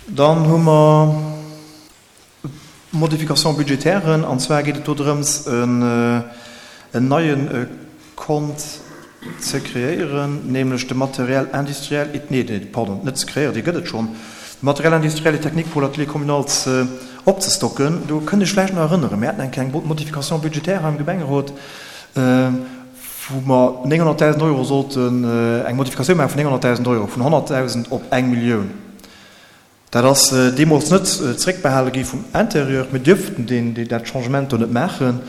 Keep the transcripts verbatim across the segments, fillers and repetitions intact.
Dann hu mer Modification-budgétairen, an zwar geet et do drëms, en neie Kont ze kreéieren, nämlech de Matériel industriel et, nee, pardon, net ze kreéieren, dee gëtt et schonn, de Matériel industriel et technique pour l'atelier communal ze opzestocken. Do kënnt Iech vläicht nach erënneren, mir haten eng kleng Modification budgétaire hei am Gemengerot, wou mer nénghonnertdausend Euro sollten, eng Modifikatioun maache vun nénghonnertdausend Euro, vun honnertdausend op eng Millioun. Dat ass deemools net zeréckbehale gi vum Intérieur. Mir dierften deen, dat Changement do net maachen,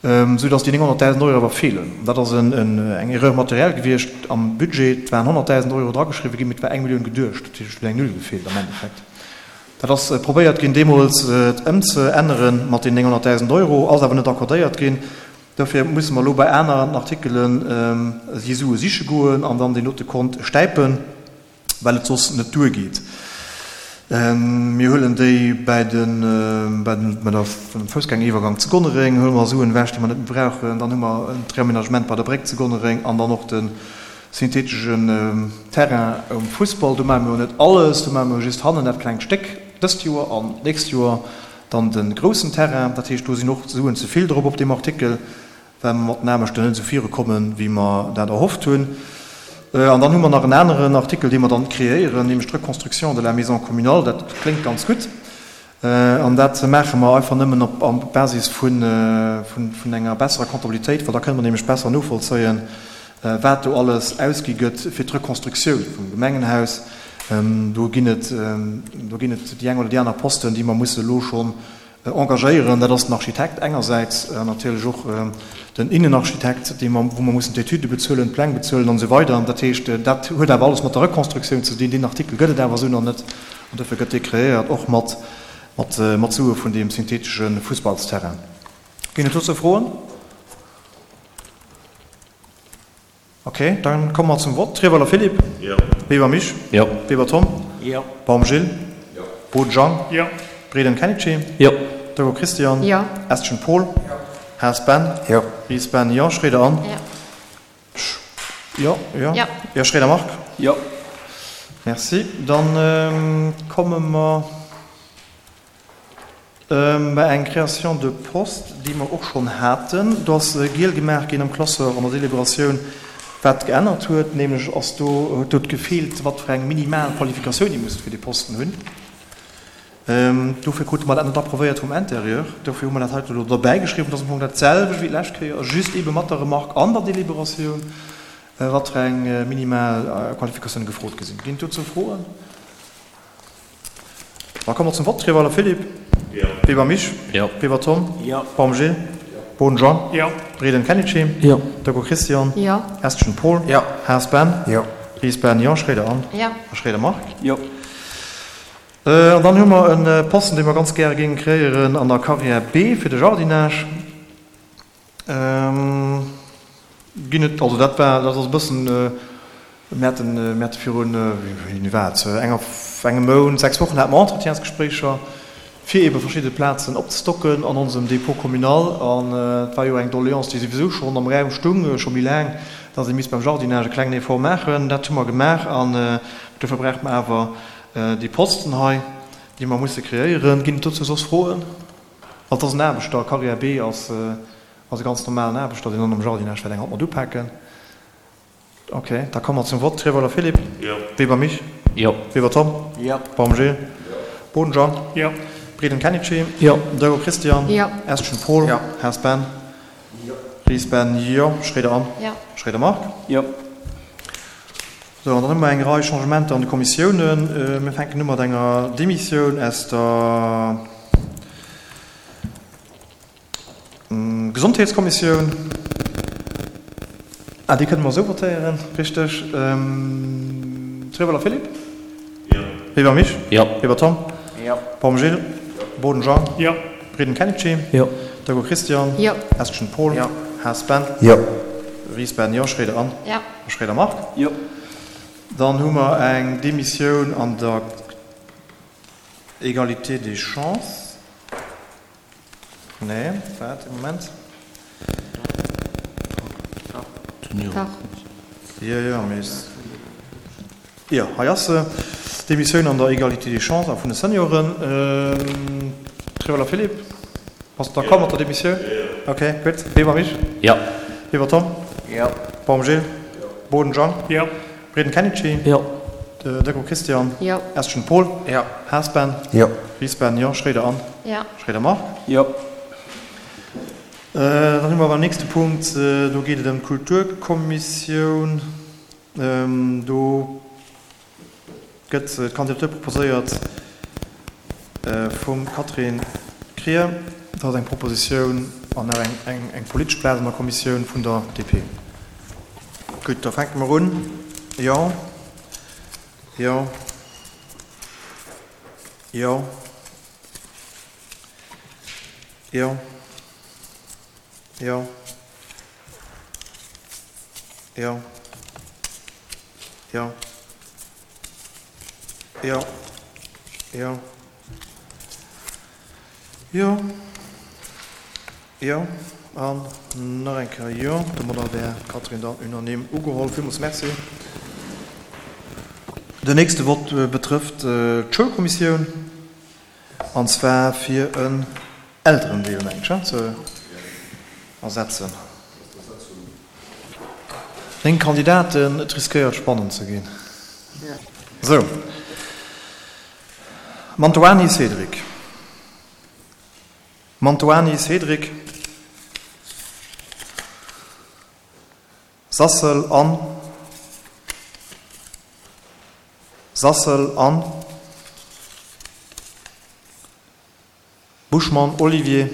esou datt déi nénghonnertdausend Euro awer feelen. Dat ass eng Erreur matérielle gewiescht am Budget. Et waren honnertdausend Euro drageschriwwen ginn, mee et war eng Millioun geduecht. Dat heescht, et huet eng Null gefeelt am Endeffekt. Dat ass probéiert ginn deemools et ëmzeännere mat deenen nénghonnertdausend Euro, ass awer net accordéiert ginn. Dofir musse mer elo bei aneren Artikelen déi Sue siche goen an dann deen dote Kont stäipen, well et soss net duergeet. Mir huelen déi bäi de, bäi den, bei der, beim Foussgängeriwwergang zu Gonnereng huele mer Suen ewech, déi mer net méi brauchen. Dann hu mer d'Reaménagement bei der Bréck zu Gonnereng an dann och de synthetegen Terrain um Fussball. Do maache mer jo net alles, do maache mer jo just hannen dat klengt Stéck dëst Joer an d'nächst Joer dann de groussen Terrain. Dat heescht, do sinn och Suen ze vill drop op deem Artikel, well mer mat den Aarbechten net esou virukommen, wéi mer dat erhofft hunn. An dann hu mer nach en aneren Artikel, dee mer dann kreéieren, nämlech d'Reconstruction de la maison communale. Dat kléngt ganz gutt. An dat maache mer einfach nëmmen op Basis vun enger besserer Comptabilitéit, well da kënne mer nämlech besser novollzéien, wat do alles ausgi gëtt fir d'Reconstructioun vum Gemengenhaus. Do ginn et, do ginn et déi eng oder déi aner Posten, déi mer musse elo schonn engagéieren. Dat ass den Architekt engersäits an natierlech och den Innenarchitekt, dee mer, wou mer mussen d'Etüde bezuelen, d'Pläng bezuelen an esou weider. Dat heescht, dat huet awer alles mat der Reconstructioun ze dinn. Deen Artikel gëtt et awer esou nach net an dofir gëtt dee kreéiert, och mat, mat, mat Sue vun deem synthetesche Fussballsterrain. Ginn et dozou Froen? Ok, dann komme mer zum Vott. Trieweler Philippe? Jo. Weber Misch? Jo. Weber Tom? Jo. Baum Gilles? Jo. Boden Jean? Jo. Breden Kenichi? Jo. Dego Christian? Jo. Estgen Paul? Jo. Haas Ben? Jo. Ries Ben? Jo. Schroeder Anne? Jo. Jo, jo. Jo. Jo. Schroeder Marc? Jo. Merci. Dann komme mer bei eng Création de poste, déi mer och schonn haten. Do ass giel gemaach ginn am Classeur an der Deliberatioun, wat geännert huet. Nämlech ass do, huet do gefeelt, wat fir eng minimal Qualifikatioun ee muss fir dee Posten hunn. Dofir krute mer dat net approvéiert vum Intérieur. Dofir hu mer dat heiten elo derbäigeschriwwen. Dat ass am Fong dat selwecht wéi d'lescht Kéier, just eebe mat der Remarque an der Deliberatioun, wat fir eng minimal Qualifikatioune gefrot gi sinn. Ginn et dozou Froen? Da komme mer zum Vott. Treweiler Philippe. Jo. Weber Misch. Jo. Weber Tom. Jo. Baum Gilles. Boden Jean. Jo. Breden Kenichi. Jo. Deco Christian. Jo. Estgen Paul. Jo. Haas Ben. Jo. Ries Ben. Jo. Schroeder Anne. Jo. A Schroeder Marc. Jo. An dann hu mer e Posten, dee mer ganz gäre géinge kreéieren an der Carrière B fir de Jardinage. Ginn et, also dat war, dat ass e bëssen, mir haten, mir hate virun, wéini war et, enger, engem Mount, sechs Wochen hate mer Entretiensgespréicher, fir eebe verschidde Plazen opzestocken an onsem Dépôt communal. An et war jo eng Doléance, déi souwisou schonn am Raum stung, scho méi laang, dass ee misst beim Jardinage e klengen Effort maachen. Dat hu mer gemaach an dofir brauche mer awer déi Posten hei, déi mer musse kreéieren. Ginn et dozou soss Froen? Well et ass en Aarbechter, Carrière B ass e ganz normalen Aarbechter, deen dann am Jardinage wäert eng Hand mat upaken. Ok, da komme mer zum Vott. Treweiler Philippe? Jo. Weber Misch? Jo. Weber Tom? Jo. Baum Gilles? Jo. Boden Jean? Jo. Breden Kenichi? Jo. Dego Christian? Jo. Estgen Paul? Jo. Haas Ben? Jo. Ries Ben? Jo. Schroeder Anne? Jo. Schroeder Marc? Jo. Sou, an dann hu mer eng Rei Changementer an de Kommissiounen. Mir fänken u mat enger Demissioun aus der Gesondheetskommissioun. Ah, déi kënne mer esou votéieren, richteg. Treweiler Philippe? Jo. Weber Misch? Jo. Weber Tom? Jo. Baum Gilles? Jo. Boden Jean? Jo. Breden Kenichi? Jo. Dego Christian? Jo. Estgen Paul? Jo. Haas Ben? Jo. Ries Ben? Jo. Schroeder Anne? Jo. A Schroeder Marc? Jo. Dann hu mer eng Demissioun an der Égalité des chances. Nee, waart ee Moment. Dach. Jo, jo, mee. Jo, hei ass se. Demissioun an der Égalité des chances a vun de Senioren. Trewella Philippe, bass de d'accord mat der Demissioun? Ok, gutt. Weber Misch? Jo. Weber Tom? Jo. Baum Gilles? Jo. Boden Jean? Jo. Breden Kenichi? Jo. Deco Christian? Jo. Estgen Paul? Jo. Haas Ben? Jo. Ries Ben, jo. Schroeder Anne? Jo. Schroeder Marc? Jo. Dann hu mer beim nächste Punkt, do geet et ëm d'Kulturkommissioun. Do gëtt d'Kandidatur proposéiert vum Catherine Krier. Dat ass eng Propositioun an nach eng eng politesch Plaz an der Kommissioun vun der D P. Gutt, da fänke mer un. Jo. Jo. Jo. Jo. Jo. Jo. Jo. Jo. Jo. Jo. Jo. An nach eng Kéier jo. Domadder wär d'Catherine dann unanime ugeholl. Villmools Merci. Den nächste Vott betrëfft d'Schoulkommissioun, an zwar fir en Elterendeel, mengen ech, ze ersetzen. Néng Kandidaten, et riskéiert spannend ze ginn. Sou, Mantoani Cédric, Mantoani Cédric, Sassel Anne, Sassel Anne, Buschmann Olivier,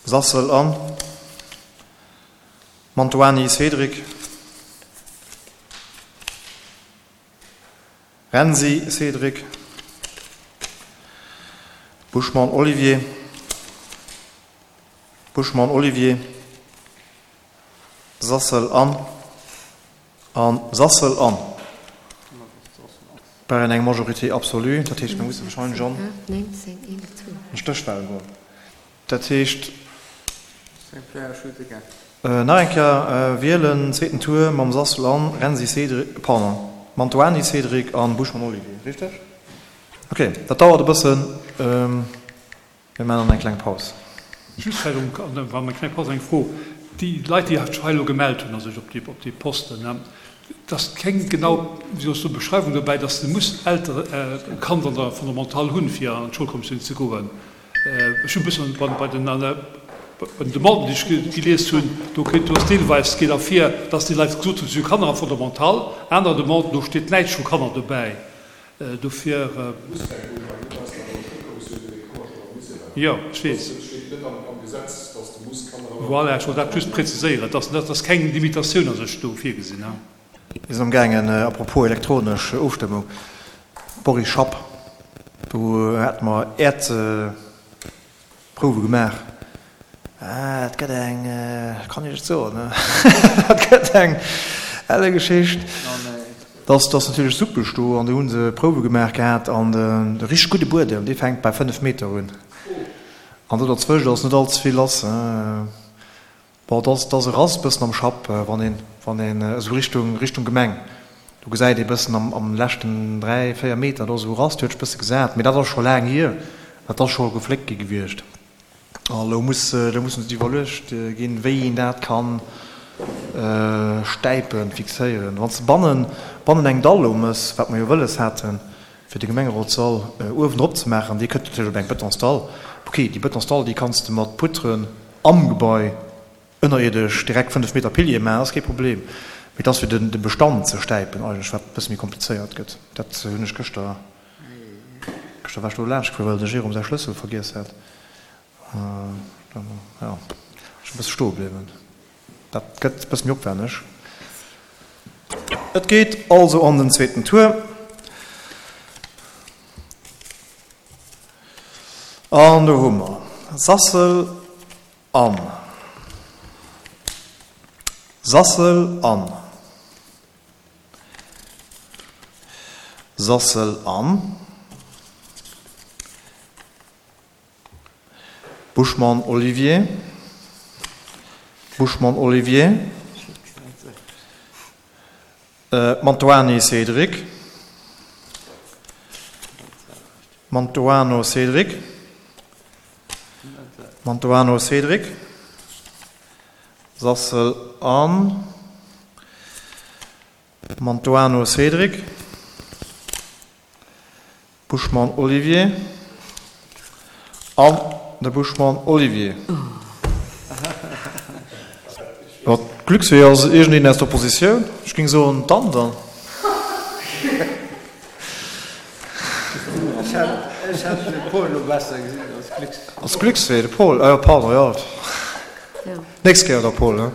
Sassel Anne, Mantoani Cédric, Renzi Cédric, Buschmann Olivier, Buschmann Olivier, Sassel Anne an Sassel Anne. Brauchen eng Majorité absolue, dat heescht mir musse wahrscheinlech an Stéchwahlen goen. Dat heescht nach eng Kéier wielen, zweeten Tour mam Sassel Anne, Renzi Cédric, pardon, Mantoani Cédric an Buschmann Olivier, richteg? Ok, dat dauert e bëssen. Mir maachen dann eng kleng Paus. Just vläicht um, wa mer eng kleng Paus, eng Fro, Déi Leit, déi sech hei elo gemellt hunn a sech op déi, op déi Posten, et ass keng genau, wéi soll ech soen, Beschreiwung dobäi, dass de muss Eltere, e Kand an der Fondamentale hunn, fir an d'Schoulkommissioun ze goen. Ech hunn e bëssen bei, bei den, bei den Demanden, déi ech gelies hunn, do kritt, do ass deelweis geet ervir, dass déi Leit gesot hunn, si hu Kanner am Fondamental. Aner Demanden, do steet näischt vu Kanner dobäi. Dofir. Jo, ech weess. Voilà, ech wollt dat just präziséieren, dass dat ass keng Limitatioun a sech do virgesinn. Mir sinn amgaangen, à propos elektronesch Ofstëmmung, Boris Schapp, do hate mer Äert. Prouwe gemaach. Ah, dat gëtt eng, kann ech et soen, dat gëtt eng elle Geschicht. Dat ass natierlech suppeg do an do hu se Prouwe gemaach gehat an de richteg gudde Buedem, dee fänkt bei fënnef Meter un. An do derzwëscht ass net all ze vill lass. Bon, et ass e Rast bëssen am Schapp, wann een, wann een esou Richtung, Richtung Gemeng, do gesäit ee bëssen am, am leschten dräi, véier Meter, do ass esou e Rast, huet sech bësse gesat, mee dat ass scho laang hier, dat ass scho gefléckt gi gewiescht. A lo muss, lo muss et iwwerluecht ginn, wéi een dat kann stäipen, fixéieren. Wann s de bannen, bannen eng Dall lo mëss, wat mer jo wëlles haten, fir de Gemengerotssall uewendrop ze maachen, dee kënnt natierlech op eng Betonsdall. Ok, déi Betonsdall, déi kanns de mat Poutrën am Gebai ënnerierdesch direkt fënnef Meter Piliere maachen, dat ass kee Problem. Mee et ass fir de Bestand ze stäipen eigentlech, wat e bësse méi komplizéiert gëtt. Dat hunn ech gëschter, gëschter war ech do laanscht gefuer, well de Jérôme säi Schlëssel vergiess hat. Jo, ech e bësse stoe bliwwen. Dat gëtt e bësse méi opwänneg. Et geet also an den zweeten Tour. An do hu mer Sassel an Sassel an Sassel an Buschmann Olivier, Buschmann Olivier, Mantoani Cédric. Mantuano Cédric. Mantuano Cédric. Sassel Anne. Mantuano Cédric. Buschmann Olivier. An de Buschmann Olivier. Jo, d'Glücksfee ass iergendeen aus der Oppositioun. Ech géing soen, d'Anne dann. Ech hätt de Paul elo besser gesinn als Glücksfee. Als Glücksfee, de Paul, ah jo, pardon, jo. Nächst Kéier da, Paul, ne?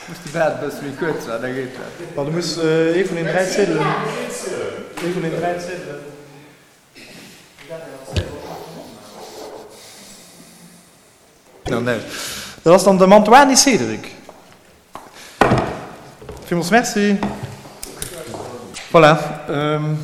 Muss de Baart e bësse méi kuerz maachen, da geet dat. Ma du muss ee vun den dräi Ziedelen, ee vun den dräi Ziedelen. Dat ass dann de Mantoani Cédric. Villmools Merci. Voilà.